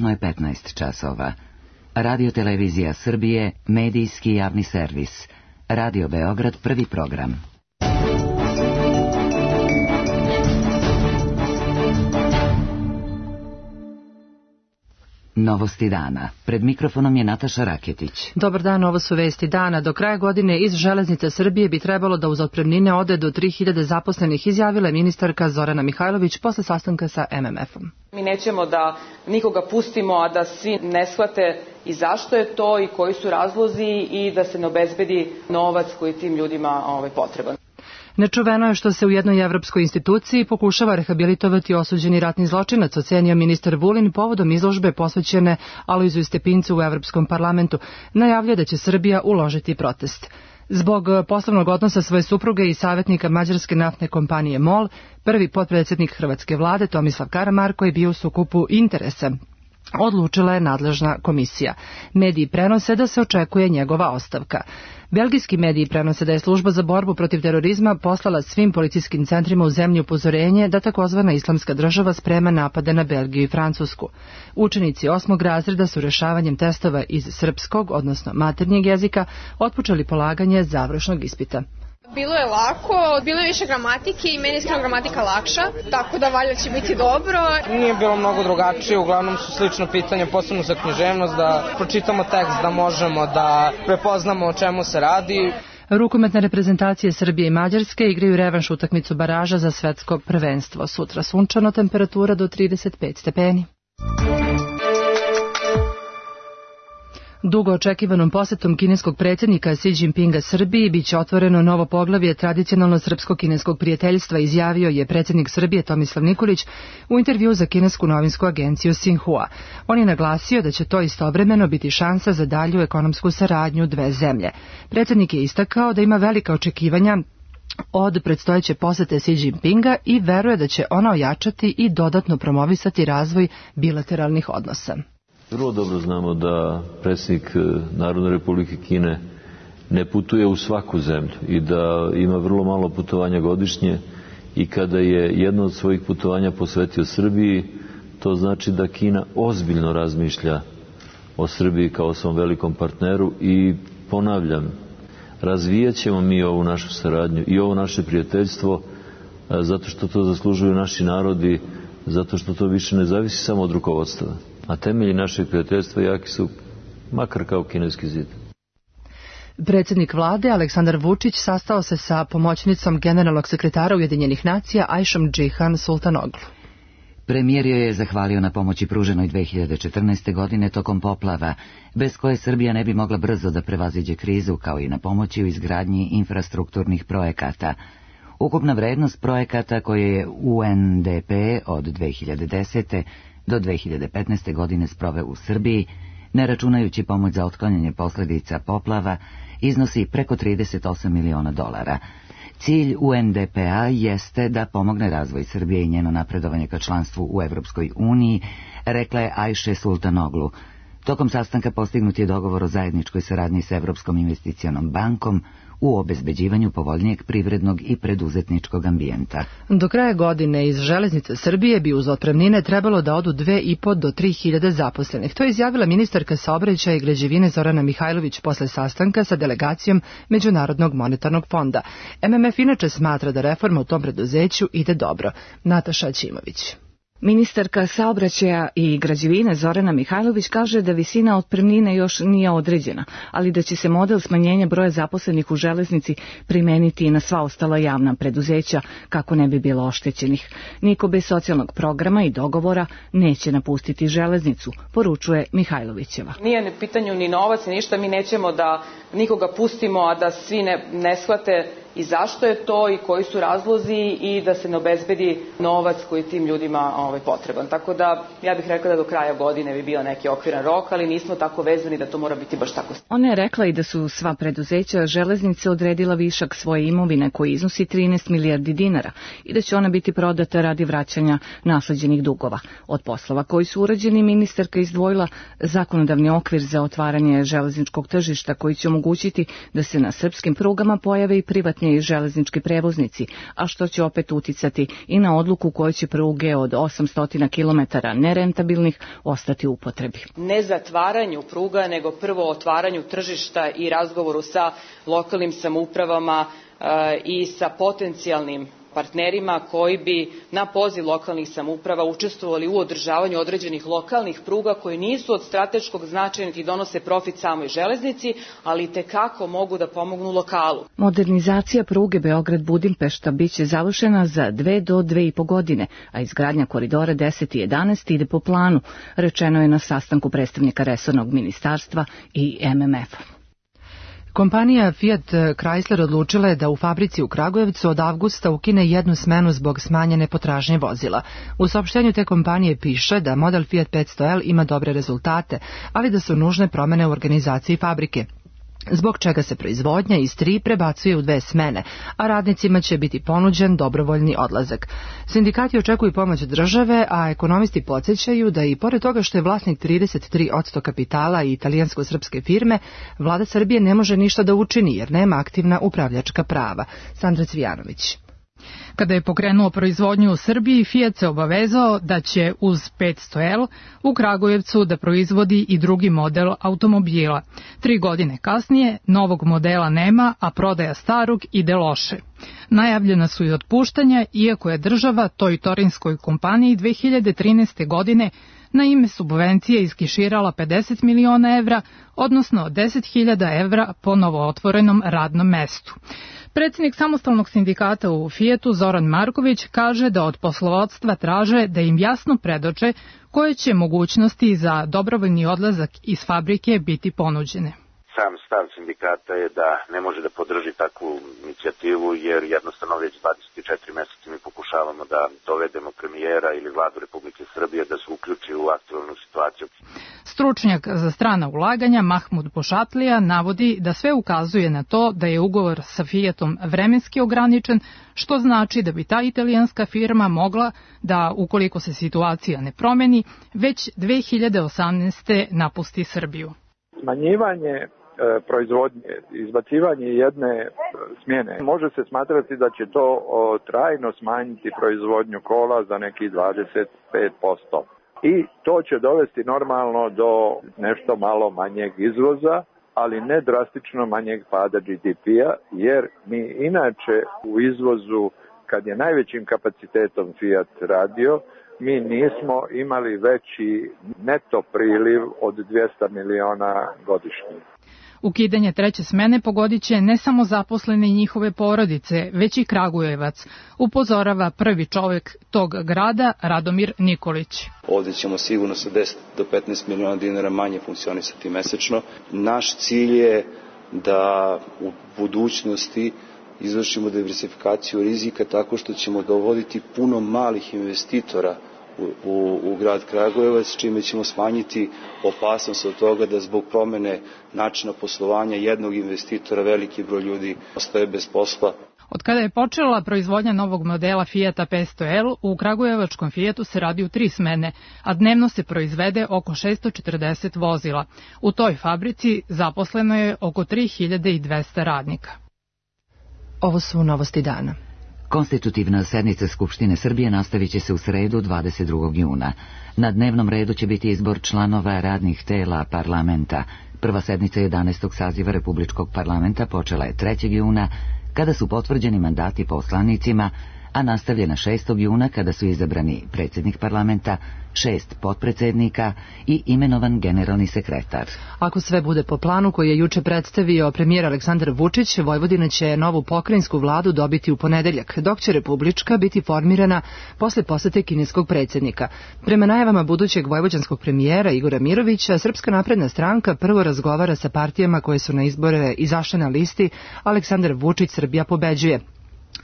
Tačno je 15 časova. Radio Televizija Srbije, medijski javni servis. Radio Beograd, prvi program. Novosti dana. Pred mikrofonom je Nataša Raketić. Dobar dan, ovo su vesti dana. Do kraja godine iz Železnice Srbije bi trebalo da uz otpremnine ode do 3000 zaposlenih, izjavila je ministarka Zorana Mihajlović posle sastanka sa MMF-om. Mi nećemo da nikoga pustimo, a da svi ne shvate i zašto je to i koji su razlozi i da se ne obezbedi novac koji je tim ljudima potreban. Nečuveno je što se u jednoj evropskoj instituciji pokušava rehabilitovati osuđeni ratni zločinac, ocenio ministar Vulin povodom izložbe posvećene Alojziju Stepincu u Evropskom parlamentu. Najavljuje da će Srbija uložiti protest. Zbog poslovnog odnosa svoje supruge i savjetnika mađarske naftne kompanije MOL, prvi potpredsjednik hrvatske vlade Tomislav Karamarko je bio u sukobu interesa. Odlučila je nadležna komisija. Mediji prenose da se očekuje njegova ostavka. Belgijski mediji prenose da je služba za borbu protiv terorizma poslala svim policijskim centrima u zemlji upozorenje da takozvana islamska država sprema napade na Belgiju i Francusku. Učenici 8. razreda su rešavanjem testova iz srpskog, odnosno maternjeg jezika, otpočeli polaganje završnog ispita. Bilo je lako, bilo je više gramatike i meni je iskreno gramatika lakša, tako da valjda će biti dobro. Nije bilo mnogo drugačije, uglavnom su slično pitanje, posebno za književnost, da pročitamo tekst, da možemo da prepoznamo o čemu se radi. Rukometne reprezentacije Srbije i Mađarske igraju revanš utakmicu baraža za svetsko prvenstvo. Sutra sunčano, temperatura do 35 stepeni. Dugo očekivanom posetom kineskog predsjednika Xi Jinpinga Srbiji biće otvoreno novo poglavlje tradicionalno srpsko-kineskog prijateljstva, izjavio je predsjednik Srbije Tomislav Nikolić u intervju za kinesku novinsku agenciju Xinhua. On je naglasio da će to istovremeno biti šansa za dalju ekonomsku saradnju dve zemlje. Predsjednik je istakao da ima velika očekivanja od predstojeće posete Xi Jinpinga i veruje da će ona ojačati i dodatno promovisati razvoj bilateralnih odnosa. Vrlo dobro znamo da predsjednik Narodne Republike Kine ne putuje u svaku zemlju i da ima vrlo malo putovanja godišnje i kada je jedno od svojih putovanja posvetio Srbiji, to znači da Kina ozbiljno razmišlja o Srbiji kao svom velikom partneru i ponavljam, razvijat ćemo mi ovu našu saradnju i ovo naše prijateljstvo zato što to zaslužuju naši narodi, zato što to više ne zavisi samo od rukovodstva. A temelji našeg prijateljstva jaki su, makar kao kineski zid. Predsjednik vlade Aleksandar Vučić sastao se sa pomoćnicom generalnog sekretara Ujedinjenih nacija Ajšom Džihan Sultanoglu. Premijer joj je zahvalio na pomoći pruženoj 2014. godine tokom poplava, bez koje Srbija ne bi mogla brzo da prevaziđe krizu, kao i na pomoći u izgradnji infrastrukturnih projekata. Ukupna vrednost projekata koje je UNDP od 2010. do 2015. godine sproveo u Srbiji, ne računajući pomoć za otklanjanje posljedica poplava, iznosi preko 38 miliona dolara. Cilj UNDP-a jeste da pomogne razvoj Srbije i njeno napredovanje ka članstvu u Evropskoj uniji, rekla je Ajše Sultanoglu. Tokom sastanka postignut je dogovor o zajedničkoj saradnji s Evropskom investicionom bankom u obezbeđivanju povoljnijeg privrednog i preduzetničkog ambijenta. Do kraja godine iz Železnice Srbije bi uz otpremnine trebalo da odu 2.500 do 3.000 zaposlenih. To je izjavila ministarka saobraćaja i građevine Zorana Mihajlović posle sastanka sa delegacijom Međunarodnog monetarnog fonda. MMF inače smatra da reforma u tom preduzeću ide dobro. Nataša Ćimović. Ministarka saobraćaja i građevine Zorana Mihajlović kaže da visina otpremnine još nije određena, ali da će se model smanjenja broja zaposlenih u železnici primeniti i na sva ostala javna preduzeća kako ne bi bilo oštećenih. Niko bez socijalnog programa i dogovora neće napustiti železnicu, poručuje Mihajlovićeva. Nije u pitanju ni novac, ni ništa, mi nećemo da nikoga pustimo, a da svi ne shvate i zašto je to i koji su razlozi i da se ne obezbedi novac koji je tim ljudima potreban. Tako da ja bih rekla da do kraja godine bi bio neki okviran rok, ali nismo tako vezani da to mora biti baš tako. Ona je rekla i da su sva preduzeća železnice odredila višak svoje imovine koji iznosi 13 milijardi dinara i da će ona biti prodata radi vraćanja nasleđenih dugova. Od poslova koji su urađeni ministarka izdvojila zakonodavni okvir za otvaranje železničkog tržišta koji će omogućiti da se na srpskim prugama pojave i privatni dostupniji železnički prevoznici, a što će opet uticati i na odluku koje će pruge od 800 km nerentabilnih ostati u upotrebi. Ne zatvaranju pruga, nego prvo otvaranju tržišta i razgovoru sa lokalnim samoupravama i sa potencijalnim partnerima koji bi na poziv lokalnih samouprava učestvovali u održavanju određenih lokalnih pruga koji nisu od strateškog značaja niti donose profit samoj železnici, ali itekako mogu da pomognu lokalu. Modernizacija pruge Beograd-Budimpešta biće završena za 2 do 2,5 godine, a izgradnja koridora 10 i 11 ide po planu, rečeno je na sastanku predstavnika resornog ministarstva i MMF-a. Kompanija Fiat Chrysler odlučila je da u fabrici u Kragujevcu od avgusta ukine jednu smenu zbog smanjene potražnje vozila. U saopštenju te kompanije piše da model Fiat 500L ima dobre rezultate, ali da su nužne promene u organizaciji fabrike, zbog čega se proizvodnja iz 3 prebacuje u 2 smene, a radnicima će biti ponuđen dobrovoljni odlazak. Sindikati očekuju pomoć države, a ekonomisti podsjećaju da i pored toga što je vlasnik 33% kapitala i italijansko-srpske firme, vlada Srbije ne može ništa da učini jer nema aktivna upravljačka prava. Sandra Cvijanović. Kada je pokrenuo proizvodnju u Srbiji, Fiat se obavezao da će uz 500L u Kragujevcu da proizvodi i drugi model automobila. 3 godine kasnije novog modela nema, a prodaja starog ide loše. Najavljena su i otpuštanja, iako je država toj torinskoj kompaniji 2013. godine na ime subvencije iskiširala 50 miliona evra, odnosno 10.000 evra po novootvorenom radnom mestu. Predsjednik samostalnog sindikata u Fiatu Zoran Marković kaže da od poslovodstva traže da im jasno predoče koje će mogućnosti za dobrovoljni odlazak iz fabrike biti ponuđene. Sam stav sindikata je da ne može da podrži takvu inicijativu jer jednostavno već 24 meseca mi pokušavamo da dovedemo premijera ili vladu Republike Srbije da se uključi u aktualnu situaciju. Stručnjak za strana ulaganja Mahmud Bošatlija navodi da sve ukazuje na to da je ugovor sa Fiatom vremenski ograničen, što znači da bi ta italijanska firma mogla da, ukoliko se situacija ne promeni, već 2018. napusti Srbiju. Smanjivanje proizvodnje, izbacivanje jedne smjene, može se smatrati da će to trajno smanjiti proizvodnju kola za neki 25%. I to će dovesti normalno do nešto malo manjeg izvoza, ali ne drastično manjeg pada GDP-a, jer mi inače u izvozu, kad je najvećim kapacitetom Fiat radio, mi nismo imali veći neto priliv od 200 miliona godišnje. Ukidanje 3. smene pogodit će ne samo zaposlene i njihove porodice, već i Kragujevac, upozorava prvi čovjek tog grada, Radomir Nikolić. Ovdje ćemo sigurno sa 10 do 15 miliona dinara manje funkcionisati mesečno. Naš cilj je da u budućnosti izvršimo diversifikaciju rizika tako što ćemo dovoditi puno malih investitora u grad Kragujevac, čime ćemo smanjiti opasnost od toga da zbog promene načina poslovanja jednog investitora veliki broj ljudi ostaje bez posla. Od kada je počela proizvodnja novog modela Fiata 500L, u kragujevačkom Fiatu se radi u 3 smene, a dnevno se proizvede oko 640 vozila. U toj fabrici zaposleno je oko 3200 radnika. Ovo su novosti dana. Konstitutivna sednica Skupštine Srbije nastavit će se u sredu 22. juna. Na dnevnom redu će biti izbor članova radnih tela parlamenta. Prva sednica 11. saziva Republičkog parlamenta počela je 3. juna, kada su potvrđeni mandati poslanicima, a nastavljena 6. juna kada su izabrani predsjednik parlamenta, 6 potpredsjednika i imenovan generalni sekretar. Ako sve bude po planu koji je juče predstavio premijer Aleksandar Vučić, Vojvodina će novu pokrajinsku vladu dobiti u ponedeljak, dok će republička biti formirana posle posete kineskog predsjednika. Prema najavama budućeg vojvođanskog premijera Igora Mirovića, Srpska napredna stranka prvo razgovara sa partijama koje su na izbore izašle na listi Aleksandar Vučić Srbija pobeđuje,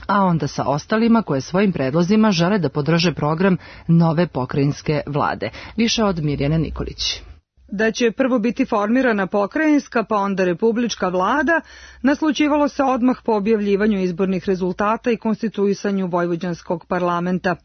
a onda sa ostalima koje svojim predlozima žele da podrže program nove pokrajinske vlade. Više od Mirjane Nikolić. Da će prvo biti formirana pokrajinska, pa onda republička vlada, naslućivalo se odmah po objavljivanju izbornih rezultata i konstituisanju vojvođanskog parlamenta.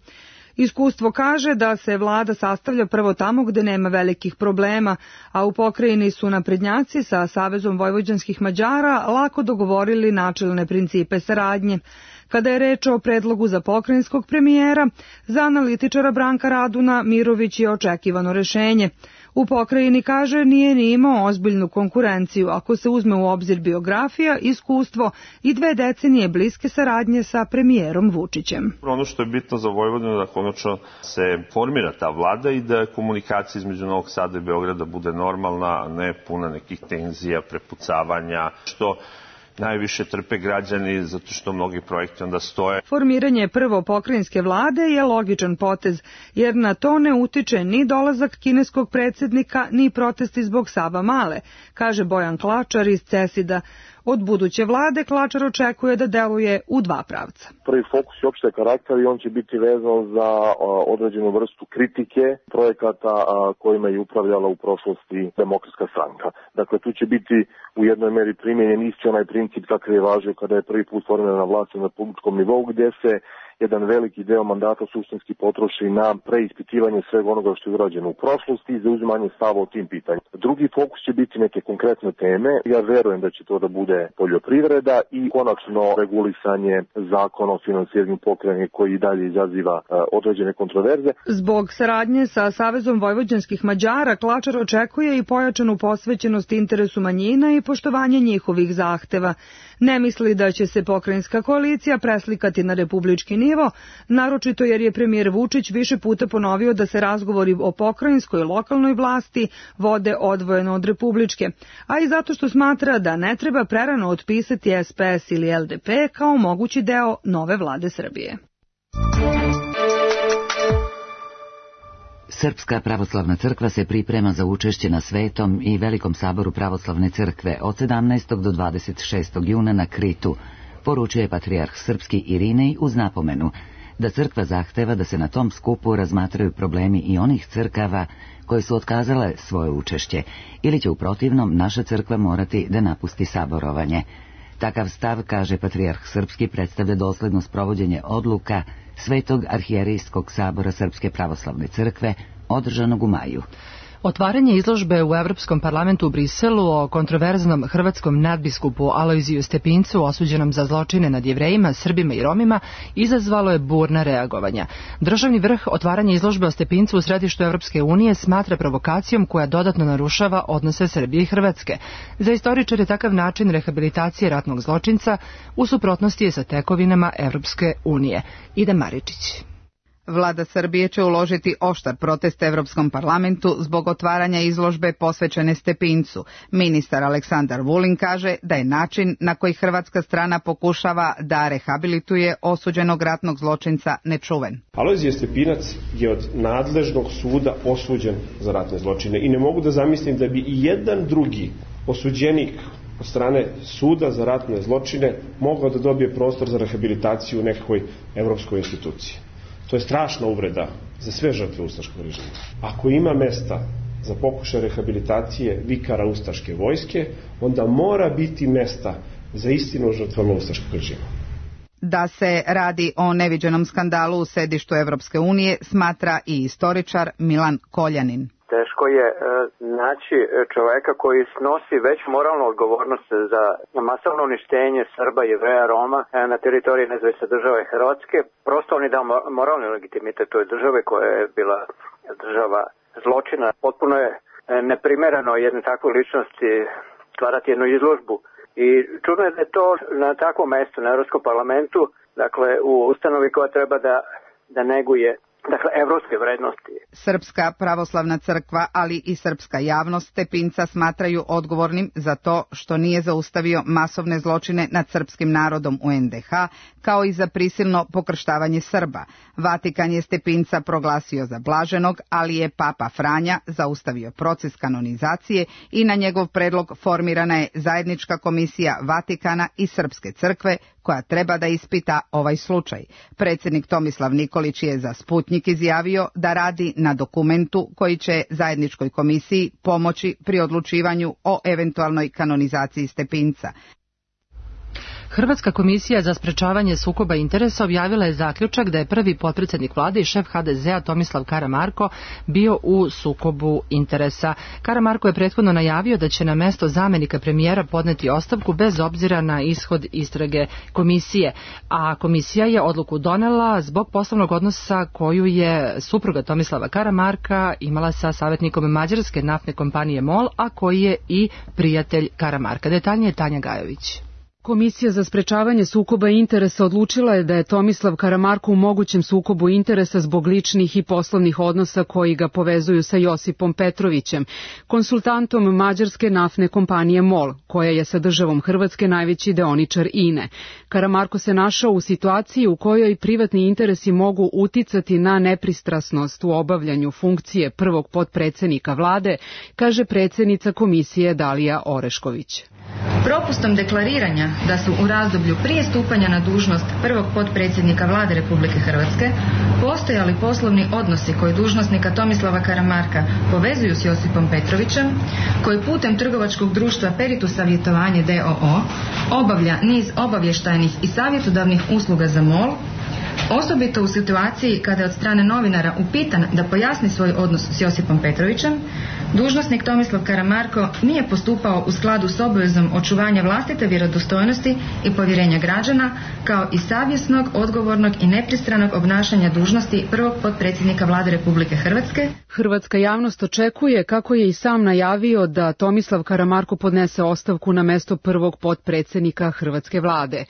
Iskustvo kaže da se vlada sastavlja prvo tamo gde nema velikih problema, a u pokrajini su naprednjaci sa Savezom vojvođanskih Mađara lako dogovorili načelne principe saradnje. Kada je reč o predlogu za pokrajinskog premijera, za analitičara Branka Raduna Mirović je očekivano rešenje. U pokrajini, kaže, nije ni imao ozbiljnu konkurenciju ako se uzme u obzir biografija, iskustvo i 2 decenije bliske saradnje sa premijerom Vučićem. Ono što je bitno za Vojvodinu da konačno se formira ta vlada i da komunikacija između Novog Sada i Beograda bude normalna, a ne puna nekih tenzija, prepucavanja, što najviše trpe građani zato što mnogi projekti onda stoje. Formiranje prvo pokrajinske vlade je logičan potez, jer na to ne utiče ni dolazak kineskog predsjednika, ni protesti zbog Savamale, kaže Bojan Klačar iz CESID-a. Od buduće vlade Klačar očekuje da deluje u 2 pravca. Prvi fokus je opšte karakter i on će biti vezan za određenu vrstu kritike projekata kojima je upravljala u prošlosti Demokratska stranka. Dakle, tu će biti u jednoj meri primjenjen isti onaj princip kakav je važio kada je prvi put formirana vlast na republičkom nivou, gdje se jedan veliki deo mandata suštinski potroši na preispitivanje svega onoga što je urađeno u prošlosti i zauzimanje stava o tim pitanjima. Drugi fokus će biti neke konkretne teme. Ja verujem da će to da bude poljoprivreda i konačno regulisanje zakona o finansiranju pokrajine koji i dalje izaziva određene kontroverze. Zbog saradnje sa Savezom vojvođanskih Mađara Klačar očekuje i pojačanu posvećenost interesu manjina i poštovanje njihovih zahteva. Ne misli da će se pokrajinska koalicija preslikati na republički nivo, naročito jer je premijer Vučić više puta ponovio da se razgovori o pokrajinskoj i lokalnoj vlasti vode odvojeno od republičke, a i zato što smatra da ne treba prerano otpisati SPS ili LDP kao mogući deo nove vlade Srbije. Srpska pravoslavna crkva se priprema za učešće na Svetom i Velikom saboru pravoslavne crkve od 17. do 26. juna na Kritu, poručuje patrijarh srpski Irinej uz napomenu da crkva zahteva da se na tom skupu razmatraju problemi i onih crkava koje su otkazale svoje učešće, ili će u protivnom naša crkva morati da napusti saborovanje. Takav stav, kaže patrijarh srpski, predstavlja dosledno sprovođenje odluka Svetog arhijerejskog sabora Srpske pravoslavne crkve, održanog u maju. Otvaranje izložbe u Evropskom parlamentu u Briselu o kontroverznom hrvatskom nadbiskupu Alojziju Stepincu osuđenom za zločine nad Jevrejima, Srbima i Romima izazvalo je burna reagovanja. Državni vrh otvaranje izložbe o Stepincu u središtu Evropske unije smatra provokacijom koja dodatno narušava odnose Srbije i Hrvatske. Za istoričare takav način rehabilitacije ratnog zločinca u suprotnosti je sa tekovinama Evropske unije. Ida Maričić. Vlada Srbije će uložiti oštar protest Evropskom parlamentu zbog otvaranja izložbe posvećene Stepincu. Ministar Aleksandar Vulin kaže da je način na koji hrvatska strana pokušava da rehabilituje osuđenog ratnog zločinca nečuven. Alojzije Stepinac je od nadležnog suda osuđen za ratne zločine i ne mogu da zamislim da bi i jedan drugi osuđenik od strane suda za ratne zločine mogao da dobije prostor za rehabilitaciju u nekakvoj evropskoj instituciji. To je strašna uvreda za sve žrtve ustaškog režima. Ako ima mesta za pokušaj rehabilitacije vikara ustaške vojske, onda mora biti mesta za istinu žrtvama ustaškog režima. Da se radi o neviđenom skandalu u sedištu Evropske unije smatra i istoričar Milan Koljanin. Teško je naći čoveka koji snosi već moralnu odgovornost za masovno uništenje Srba, Jevreja, Roma na teritoriji nezavisne države Hrvatske. Prosto on je dao moralni legitimitet toj države koja je bila država zločina. Potpuno je neprimereno jedne takve ličnosti stvarati jednu izložbu. I čudno je da je to na takvom mestu, na Evropskom parlamentu, dakle u ustanovi koja treba da neguje evropske vrednosti. Srpska pravoslavna crkva, ali i srpska javnost Stepinca smatraju odgovornim za to što nije zaustavio masovne zločine nad srpskim narodom u NDH, kao i za prisilno pokrštavanje Srba. Vatikan je Stepinca proglasio za blaženog, ali je Papa Franja zaustavio proces kanonizacije i na njegov predlog formirana je zajednička komisija Vatikana i Srpske crkve koja treba da ispita ovaj slučaj. Predsjednik Tomislav Nikolić je za Sputnjik izjavio da radi na dokumentu koji će zajedničkoj komisiji pomoći pri odlučivanju o eventualnoj kanonizaciji Stepinca. Hrvatska komisija za sprečavanje sukoba interesa objavila je zaključak da je prvi potpredsjednik vlade i šef HDZ-a Tomislav Karamarko bio u sukobu interesa. Karamarko je prethodno najavio da će na mesto zamenika premijera podneti ostavku bez obzira na ishod istrage komisije, a komisija je odluku donela zbog poslovnog odnosa koju je supruga Tomislava Karamarka imala sa savjetnikom mađarske naftne kompanije MOL, a koji je i prijatelj Karamarka. Detaljnije Tanja Gajović. Komisija za sprečavanje sukoba interesa odlučila je da je Tomislav Karamarko u mogućem sukobu interesa zbog ličnih i poslovnih odnosa koji ga povezuju sa Josipom Petrovićem, konsultantom mađarske naftne kompanije MOL, koja je sa državom Hrvatske najveći deoničar INE. Karamarko se našao u situaciji u kojoj privatni interesi mogu uticati na nepristrasnost u obavljanju funkcije prvog potpredsjednika vlade, kaže predsjednica komisije Dalija Orešković. Propustom deklariranja da su u razdoblju prije stupanja na dužnost prvog potpredsjednika vlade Republike Hrvatske postojali poslovni odnosi koji dužnosnika Tomislava Karamarka povezuju s Josipom Petrovićem, koji putem trgovačkog društva Peritus Savjetovanje d.o.o. obavlja niz obavještajnih i savjetodavnih usluga za MOL, osobito u situaciji kada je od strane novinara upitan da pojasni svoj odnos s Josipom Petrovićem, dužnosnik Tomislav Karamarko nije postupao u skladu s obavezom očuvanja vlastite vjerodostojnosti i povjerenja građana, kao i savjesnog, odgovornog i nepristranog obnašanja dužnosti prvog potpredsjednika vlade Republike Hrvatske. Hrvatska javnost očekuje, kako je i sam najavio, da Tomislav Karamarko podnese ostavku na mesto prvog potpredsjednika hrvatske vlade.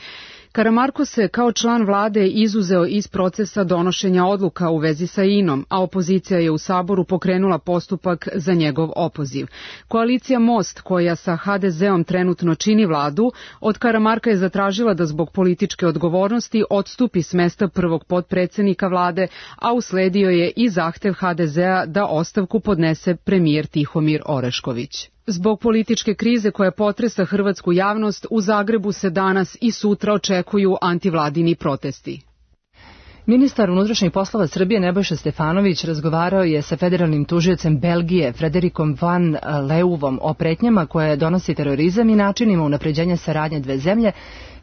Karamarko se kao član vlade izuzeo iz procesa donošenja odluka u vezi sa INOM, a opozicija je u Saboru pokrenula postupak za njegov opoziv. Koalicija Most, koja sa HDZ-om trenutno čini vladu, od Karamarka je zatražila da zbog političke odgovornosti odstupi s mesta prvog potpredsjednika vlade, a usledio je i zahtev HDZ-a da ostavku podnese premijer Tihomir Orešković. Zbog političke krize koja potresa hrvatsku javnost, u Zagrebu se danas i sutra očekuju antivladini protesti. Ministar unutrašnjih poslova Srbije Nebojša Stefanović razgovarao je sa federalnim tužiocem Belgije Frederikom van Leuvom o pretnjama koje donosi terorizam i načinima unapređenja saradnje dve zemlje,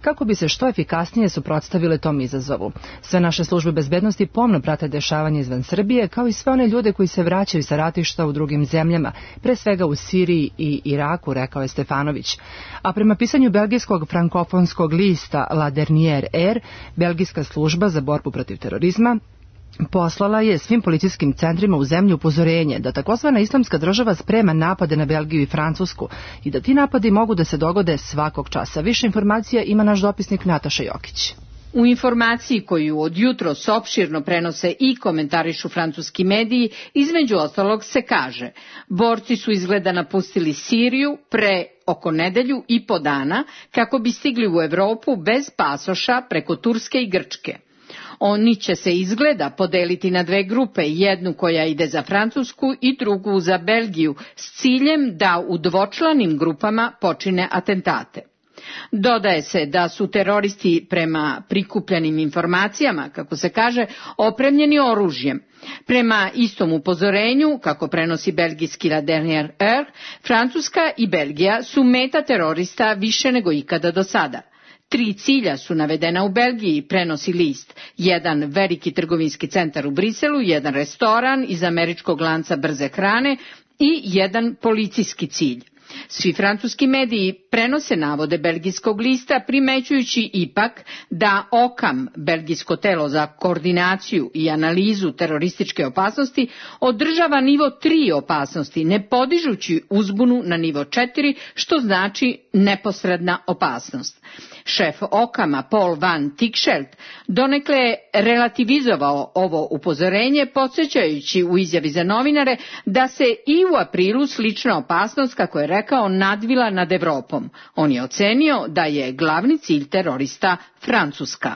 kako bi se što efikasnije suprotstavile tom izazovu. Sve naše službe bezbednosti pomno prate dešavanje izvan Srbije, kao i sve one ljude koji se vraćaju sa ratišta u drugim zemljama, pre svega u Siriji i Iraku, rekao je Stefanović. A prema pisanju belgijskog frankofonskog lista La Dernière Heure, belgijska služba za borbu protiv terorizma poslala je svim policijskim centrima u zemlji upozorenje da takozvana islamska država sprema napade na Belgiju i Francusku i da ti napadi mogu da se dogode svakog časa. Više informacija ima naš dopisnik Nataša Jokić. U informaciji koju od jutros opširno prenose i komentarišu francuski mediji, između ostalog se kaže: borci su izgleda napustili Siriju pre oko nedelju i po dana kako bi stigli u Evropu bez pasoša preko Turske i Grčke. Oni će se izgleda podeliti na dve grupe, jednu koja ide za Francusku i drugu za Belgiju, s ciljem da u dvočlanim grupama počine atentate. Dodaje se da su teroristi prema prikupljenim informacijama, kako se kaže, opremljeni oružjem. Prema istom upozorenju, kako prenosi belgijski La Dernière Heure, Francuska i Belgija su meta terorista više nego ikada do sada. 3 cilja su navedena u Belgiji, prenosi list. Jedan veliki trgovinski centar u Briselu, jedan restoran iz američkog lanca brze hrane i jedan policijski cilj. Svi francuski mediji prenose navode belgijskog lista, primećujući ipak da OCAM, belgijsko telo za koordinaciju i analizu terorističke opasnosti, održava nivo 3 opasnosti, ne podižući uzbunu na nivo 4, što znači neposredna opasnost. Šef OCAM-a Paul van Tikschelt donekle je relativizovao ovo upozorenje, podsjećajući u izjavi za novinare da se i u aprilu slična opasnost, kako je rekao, nadvila nad Evropom. On je ocenio da je glavni cilj terorista Francuska.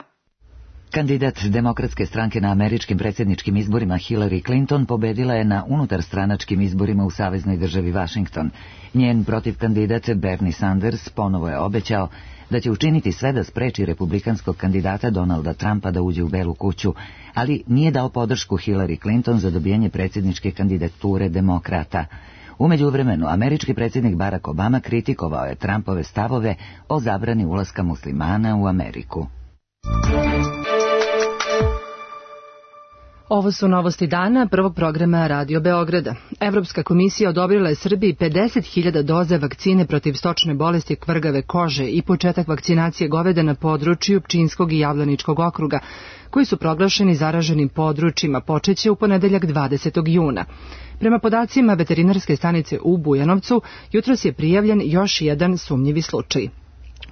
Kandidat Demokratske stranke na američkim predsjedničkim izborima Hillary Clinton pobedila je na unutarstranačkim izborima u saveznoj državi Washington. Njen protivkandidat Bernie Sanders ponovo je obećao da će učiniti sve da spreči republikanskog kandidata Donalda Trumpa da uđe u Belu kuću, ali nije dao podršku Hillary Clinton za dobijanje predsjedničke kandidature demokrata. U međuvremenu, američki predsjednik Barack Obama kritikovao je Trumpove stavove o zabrani ulaska muslimana u Ameriku. Ovo su novosti dana prvog programa Radio Beograda. Evropska komisija odobrila je Srbiji 50.000 doza vakcine protiv stočne bolesti kvrgave kože i početak vakcinacije goveda na području Pčinjskog i Javlaničkog okruga, koji su proglašeni zaraženim područjima, počeće u ponedeljak 20. juna. Prema podacima veterinarske stanice u Bujanovcu, jutros je prijavljen još jedan sumnjivi slučaj.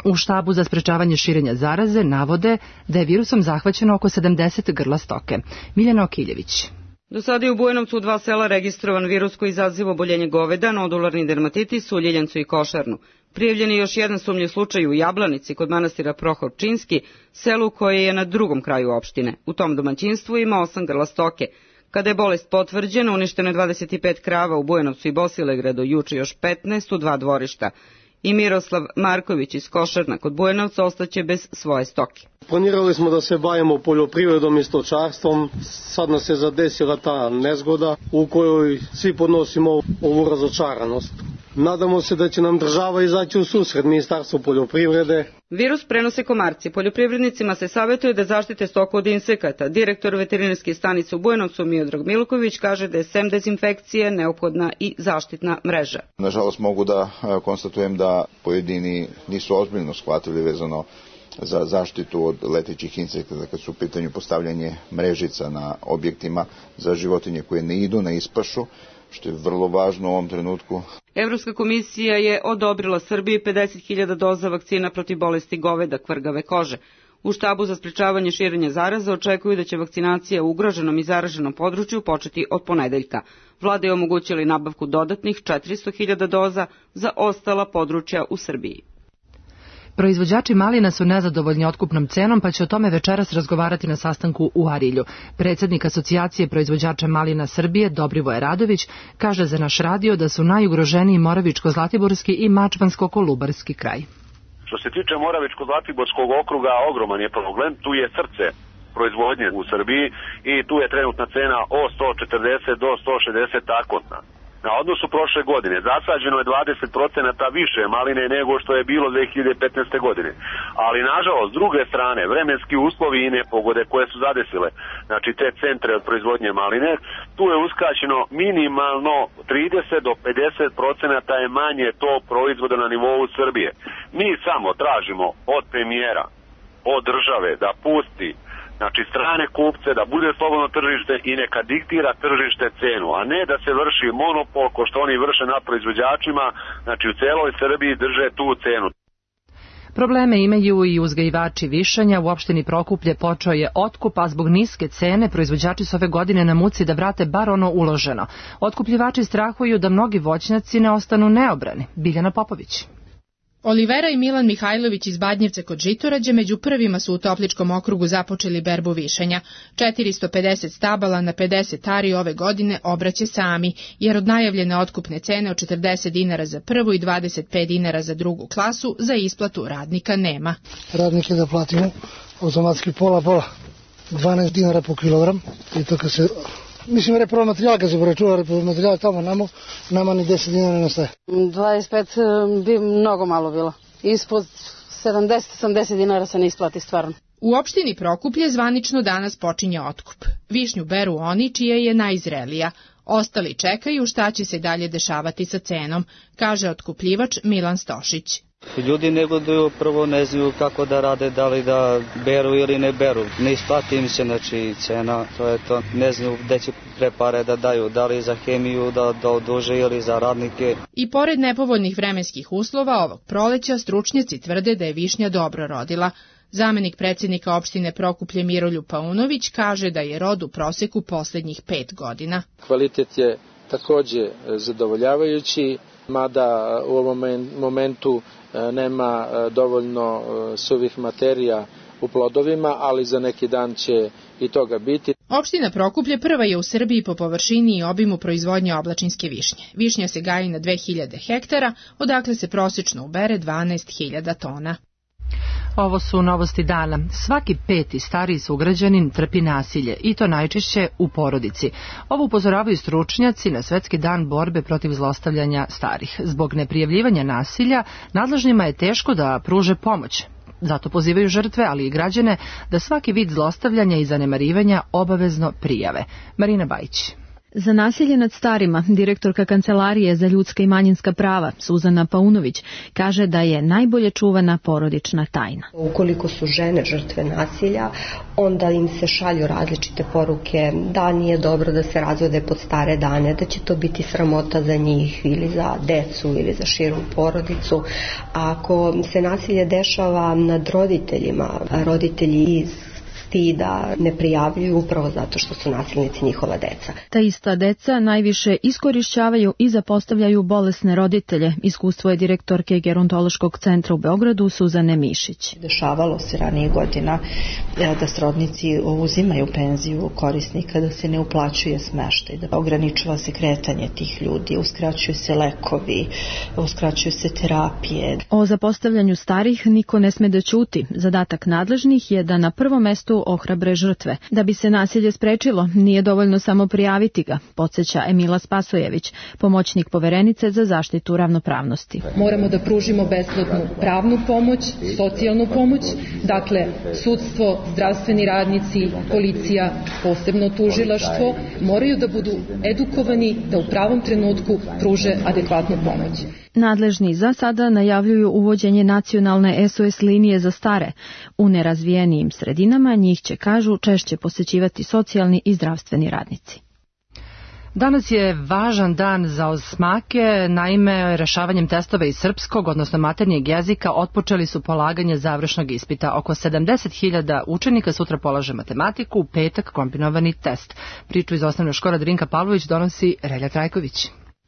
U štabu za sprečavanje širenja zaraze navode da je virusom zahvaćeno oko 70 grla stoke. Miljana Okiljević. Do sada je u Bujanovcu u 2 sela registrovan virus koji izaziva oboljenje goveda, nodularni dermatitis u Ljiljancu i Košarnu. Prijavljen je još jedan sumnjiv slučaj u Jablanici kod manastira Prohor Pčinjski, selu koje je na drugom kraju opštine. U tom domaćinstvu ima 8 grla stoke. Kada je bolest potvrđena, uništeno je 25 krava u Bujanovcu i Bosilegradu, juče još 15 u 2 dvorišta. I Miroslav Marković iz Košarna kod Bujanovca ostaće bez svoje stoke. Planirali smo da se bavimo poljoprivredom i stočarstvom, sad nas je zadesila ta nezgoda u kojoj svi podnosimo ovu razočaranost. Nadamo se da će nam država izaći u susret Ministarstvu poljoprivrede. Virus prenose komarci. Poljoprivrednicima se savjetuje da zaštite stoku od insekata. Direktor veterinarske stanice u Bujanovcu Miodrag Milković kaže da je sem dezinfekcije neophodna i zaštitna mreža. Nažalost mogu da konstatujem da pojedini nisu ozbiljno shvatili vezano za zaštitu od letećih insekata kad su u pitanju postavljanje mrežica na objektima za životinje koje ne idu na ispašu, što je vrlo važno u ovom trenutku. Evropska komisija je odobrila Srbiji 50.000 doza vakcina protiv bolesti goveda kvrgave kože. U štabu za sprečavanje širenja zaraze očekuju da će vakcinacija u ugroženom i zaraženom području početi od ponedeljka. Vlada je omogućila i nabavku dodatnih 400.000 doza za ostala područja u Srbiji. Proizvođači malina su nezadovoljni otkupnom cenom, pa će o tome večeras razgovarati na sastanku u Arilju. Predsjednik Asocijacije proizvođača malina Srbije, Dobrivoje Radović, kaže za naš radio da su najugroženiji Moravičko-Zlatiborski i Mačvansko-Kolubarski kraj. Što se tiče Moravičko-Zlatiborskog okruga, ogroman je problem, tu je srce proizvodnje u Srbiji i tu je trenutna cena od 140 do 160 takotna. Na odnosu prošle godine zasađeno je 20% više maline nego što je bilo 2015. godine. Ali nažalost, s druge strane, vremenski uslovi i nepogode koje su zadesile, znači te centre od proizvodnje maline, tu je uskraćeno minimalno 30 do 50% je manje to proizvoda na nivou Srbije. Mi samo tražimo od premijera, od države da pusti strane kupce, da bude slobodno tržište i neka diktira tržište cenu, a ne da se vrši monopol ko što oni vrše nad proizvođačima, znači u celoj Srbiji drže tu cenu. Probleme imaju i uzgajivači višanja. U opštini Prokuplje počeo je otkup, a zbog niske cene proizvođači su ove godine na muci da vrate bar ono uloženo. Otkupljivači strahuju da mnogi voćnjaci ne ostanu neobrani. Biljana Popović. Olivera i Milan Mihajlović iz Badnjevca kod Žitorađe među prvima su u Topličkom okrugu započeli berbu višenja. 450 stabala na 50 ari ove godine obraće sami, jer od najavljene otkupne cene od 40 dinara za prvu i 25 dinara za drugu klasu za isplatu radnika nema. Radnike da platimo automatski pola, 12 dinara po kilogram i to kad se... Mislim, repromaterijal, kad se poračuna repromaterijal tamo nama ni 10 dinara ne staje. 25 bi mnogo malo bilo. Ispod 70-80 dinara se ne isplati stvarno. U opštini Prokuplje zvanično danas počinje otkup. Višnju beru oni čija je najzrelija. Ostali čekaju šta će se dalje dešavati sa cenom, kaže otkupljivač Milan Stošić. Ljudi negoduju, prvo ne znaju kako da rade, da li da beru ili ne beru. Ne isplati im se, znači cena, to je to, ne znaju gde će prepare da daju, da li za hemiju da oduže ili za radnike. I pored nepovoljnih vremenskih uslova ovog proleća, stručnjaci tvrde da je višnja dobro rodila. Zamenik predsjednika opštine Prokuplje Miroljub Paunović kaže da je rod u proseku poslednjih 5 godina. Kvalitet je takođe zadovoljavajući, mada u ovom momentu nema dovoljno suvih materija u plodovima, ali za neki dan će i toga biti. Opština Prokuplje prva je u Srbiji po površini i obimu proizvodnje oblačinske višnje. Višnja se gaji na 2000 hektara, odakle se prosečno ubere 12.000 tona. Ovo su novosti dana. Svaki 5. stariji sugrađanin trpi nasilje i to najčešće u porodici. Ovo upozoravaju stručnjaci na Svetski dan borbe protiv zlostavljanja starih. Zbog neprijavljivanja nasilja nadležnima je teško da pruže pomoć. Zato pozivaju žrtve, ali i građane, da svaki vid zlostavljanja i zanemarivanja obavezno prijave. Marina Bajić. Za nasilje nad starima, direktorka Kancelarije za ljudska i manjinska prava, Suzana Paunović, kaže da je najbolje čuvana porodična tajna. Ukoliko su žene žrtve nasilja, onda im se šalju različite poruke da nije dobro da se razvode pod stare dane, da će to biti sramota za njih ili za decu ili za širu porodicu. A ako se nasilje dešava nad roditeljima, roditelji iz da ne prijavljuju upravo zato što su nasilnici njihova deca. Ta ista deca najviše iskorišćavaju i zapostavljaju bolesne roditelje. Iskustvo je direktorke Gerontološkog centra u Beogradu Suzane Mišić. Dešavalo se ranije godina da srodnici uzimaju penziju korisnika, da se ne uplaćuje smeštaj, da ograničava se kretanje tih ljudi, uskraćuju se lekovi, uskraćuju se terapije. O zapostavljanju starih niko ne sme da ćuti. Zadatak nadležnih je da na prvom mestu ohrabre žrtve. Da bi se nasilje sprečilo, nije dovoljno samo prijaviti ga, podsjeća Emila Spasojević, pomoćnik poverenice za zaštitu ravnopravnosti. Moramo da pružimo besplatnu pravnu pomoć, socijalnu pomoć, dakle sudstvo, zdravstveni radnici, policija, posebno tužilaštvo, moraju da budu edukovani da u pravom trenutku pruže adekvatnu pomoć. Nadležni za sada najavljuju uvođenje nacionalne SOS linije za stare. U nerazvijenijim sredinama njih će, kažu, češće posećivati socijalni i zdravstveni radnici. Danas je važan dan za osmake, naime rešavanjem testova iz srpskog, odnosno maternjeg jezika, otpočeli su polaganje završnog ispita. Oko 70.000 učenika sutra polaže matematiku, u petak kombinovani test. Priču iz osnovne škole Drinka Pavlović donosi Relja Trajković.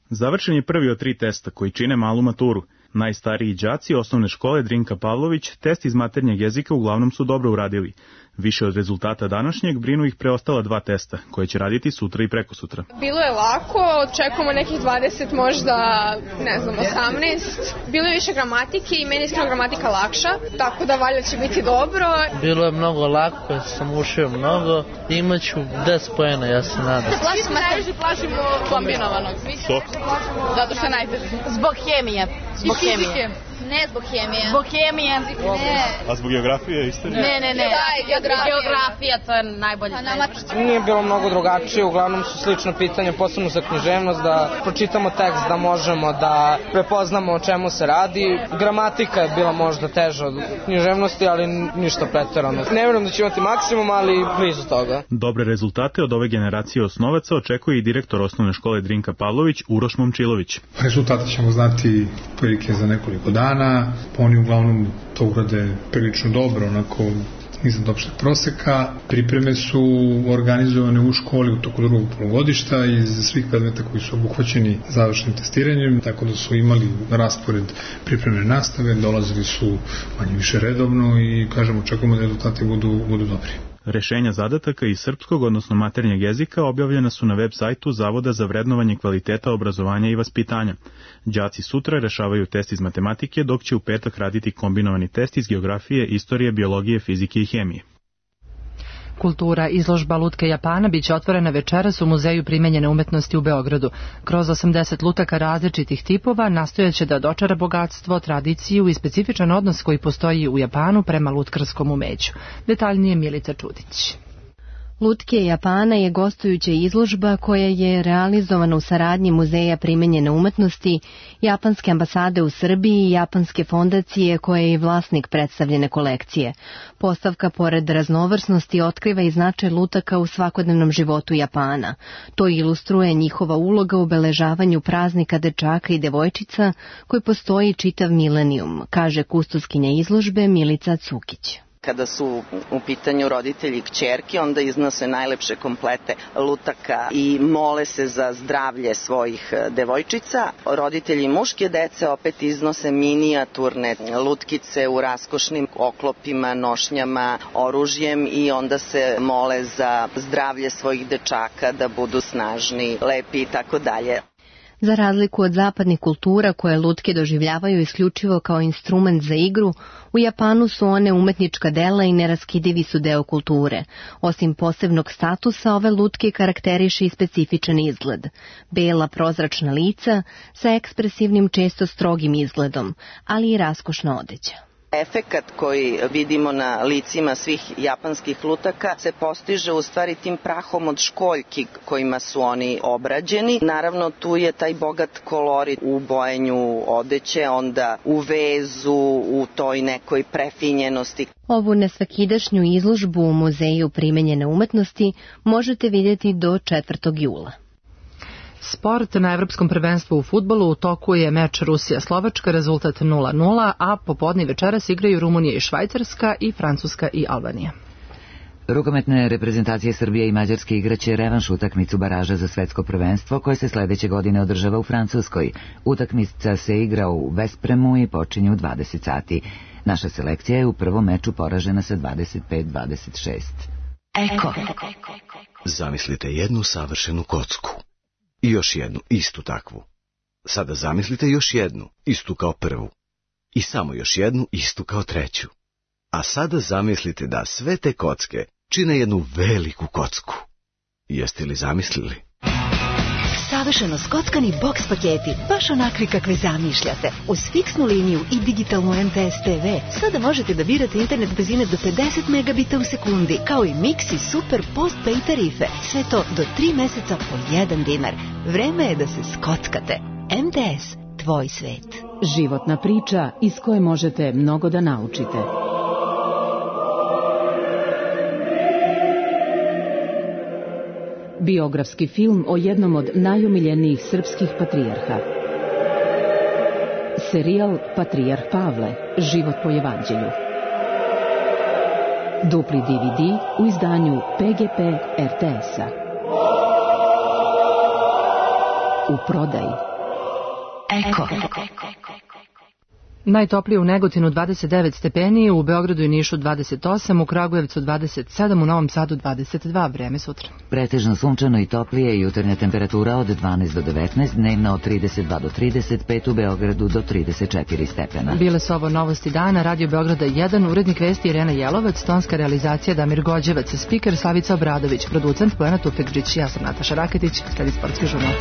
Završen je prvi od 3 testa koji čine malu maturu. Najstariji đaci osnovne škole Drinka Pavlović test iz maternjeg jezika uglavnom su dobro uradili. Više od rezultata današnjeg brinu ih preostala 2 testa, koje će raditi sutra i prekosutra. Bilo je lako, očekujemo nekih 20, možda, 18. Bilo je više gramatike i meni je iskreno gramatika lakša, tako da valjda će biti dobro. Bilo je mnogo lako, ja sam učio mnogo, imaću 10 poena, ja se nadam. Najviše plašimo kombinovanog. Što? Zato što je najteže. Zbog hemije. Zbog hemije. Ne zbog hemije. Zbog hemije. Ne. A zbog geografije, istorije? Ne. Geografija, to je najbolje. Nije bilo mnogo drugačije, uglavnom su slično pitanje, posebno za književnost, da pročitamo tekst, da možemo da prepoznamo o čemu se radi. Gramatika je bila možda teža od književnosti, ali ništa pretjerano. Ne vjerujem da će imati maksimum, ali blizu toga. Dobre rezultate od ove generacije osnovaca očekuje i direktor osnovne škole Drinka Pavlović, Uroš Momčilović. Rezultate ćemo znati prilike za nekoliko dana. Oni uglavnom to urade prilično dobro, onako iznad opšteg proseka. Pripreme su organizovane u školi u toku drugog polugodišta iz svih predmeta koji su obuhvaćeni završnim testiranjem, tako da su imali raspored pripremne nastave, dolazili su manje više redovno i kažemo očekujemo da rezultati budu dobri. Rešenja zadataka iz srpskog, odnosno maternjeg jezika, objavljena su na web sajtu Zavoda za vrednovanje kvaliteta obrazovanja i vaspitanja. Đaci sutra rešavaju test iz matematike, dok će u petak raditi kombinovani test iz geografije, istorije, biologije, fizike i hemije. Kultura izložba lutke Japana biće otvorena večeras u Muzeju primenjene umetnosti u Beogradu. Kroz 80 lutaka različitih tipova nastojaće da dočara bogatstvo, tradiciju i specifičan odnos koji postoji u Japanu prema lutkarskom umeću. Detaljnije Milica Čudić. Lutke Japana je gostujuća izložba koja je realizovana u saradnji Muzeja primenjene umetnosti, Japanske ambasade u Srbiji i Japanske fondacije koja je i vlasnik predstavljene kolekcije. Postavka, pored raznovrsnosti, otkriva i značaj lutaka u svakodnevnom životu Japana. To ilustruje njihova uloga u obeležavanju praznika dečaka i devojčica koji postoji čitav milenijum, kaže kustoskinja izložbe Milica Cukić. Kada su u pitanju roditelji i kćerke, onda iznose najlepše komplete lutaka i mole se za zdravlje svojih devojčica. Roditelji muške dece opet iznose minijaturne lutkice u raskošnim oklopima, nošnjama, oružjem i onda se mole za zdravlje svojih dečaka, da budu snažni, lepi i tako dalje. Za razliku od zapadnih kultura koje lutke doživljavaju isključivo kao instrument za igru, u Japanu su one umetnička dela i neraskidivi su deo kulture. Osim posebnog statusa, ove lutke karakteriše i specifičan izgled. Bela prozračna lica sa ekspresivnim, često strogim izgledom, ali i raskošna odeća. Efekat koji vidimo na licima svih japanskih lutaka se postiže u stvari tim prahom od školjki kojima su oni obrađeni. Naravno, tu je taj bogat kolorit u bojenju odeće, onda u vezu, u toj nekoj prefinjenosti. Ovu nesvakidašnju izložbu u Muzeju primenjene umetnosti možete vidjeti do 4. jula. Sport. Na Evropskom prvenstvu u fudbalu u toku je meč Rusija-Slovačka, rezultat 0:0, a popodne večeras igraju Rumunija i Švajcarska i Francuska i Albanija. Rukometne reprezentacije Srbije i Mađarske igraće revanš utakmicu baraža za svetsko prvenstvo koje se sledeće godine održava u Francuskoj. Utakmica se igra u Vespremu i počinje u 20 sati. Naša selekcija je u prvom meču poražena sa 25-26. Eko. Zamislite jednu savršenu kocku. I još jednu, istu takvu. Sada zamislite još jednu, istu kao prvu. I samo još jednu, istu kao treću. A sada zamislite da sve te kocke čine jednu veliku kocku. Jeste li zamislili? Savršeno skockani boks paketi, baš onakvi kakve zamišljate. Uz fiksnu liniju i digitalnu MTS TV, sada možete da birate internet brzine do 50 megabita u sekundi, kao i mix i super postpay tarife. Sve to do 3 meseca po 1 dinar. Vreme je da se skockate. MTS, tvoj svet. Životna priča iz koje možete mnogo da naučite. Biografski film o jednom od najomiljenijih srpskih patrijarha. Serijal Patrijarh Pavle, život po evanđelju. Dupli DVD u izdanju PGP RTS-a. U prodaji. Eko. Najtoplije u Negotinu 29 stepeni, u Beogradu i Nišu 28, u Kragujevcu 27, u Novom Sadu 22, vreme sutra. Pretežno sunčano i toplije, jutarnja temperatura od 12 do 19, dnevna od 32 do 35, u Beogradu do 34 stepena. Bile su ovo novosti dana, Radio Beograda 1, urednik vesti Irena Jelovac, tonska realizacija Damir Gođevac, spiker Slavica Obradović, producent Bojana Tufekđić, ja sam Nataša Raketić, sledi sportski žurnal.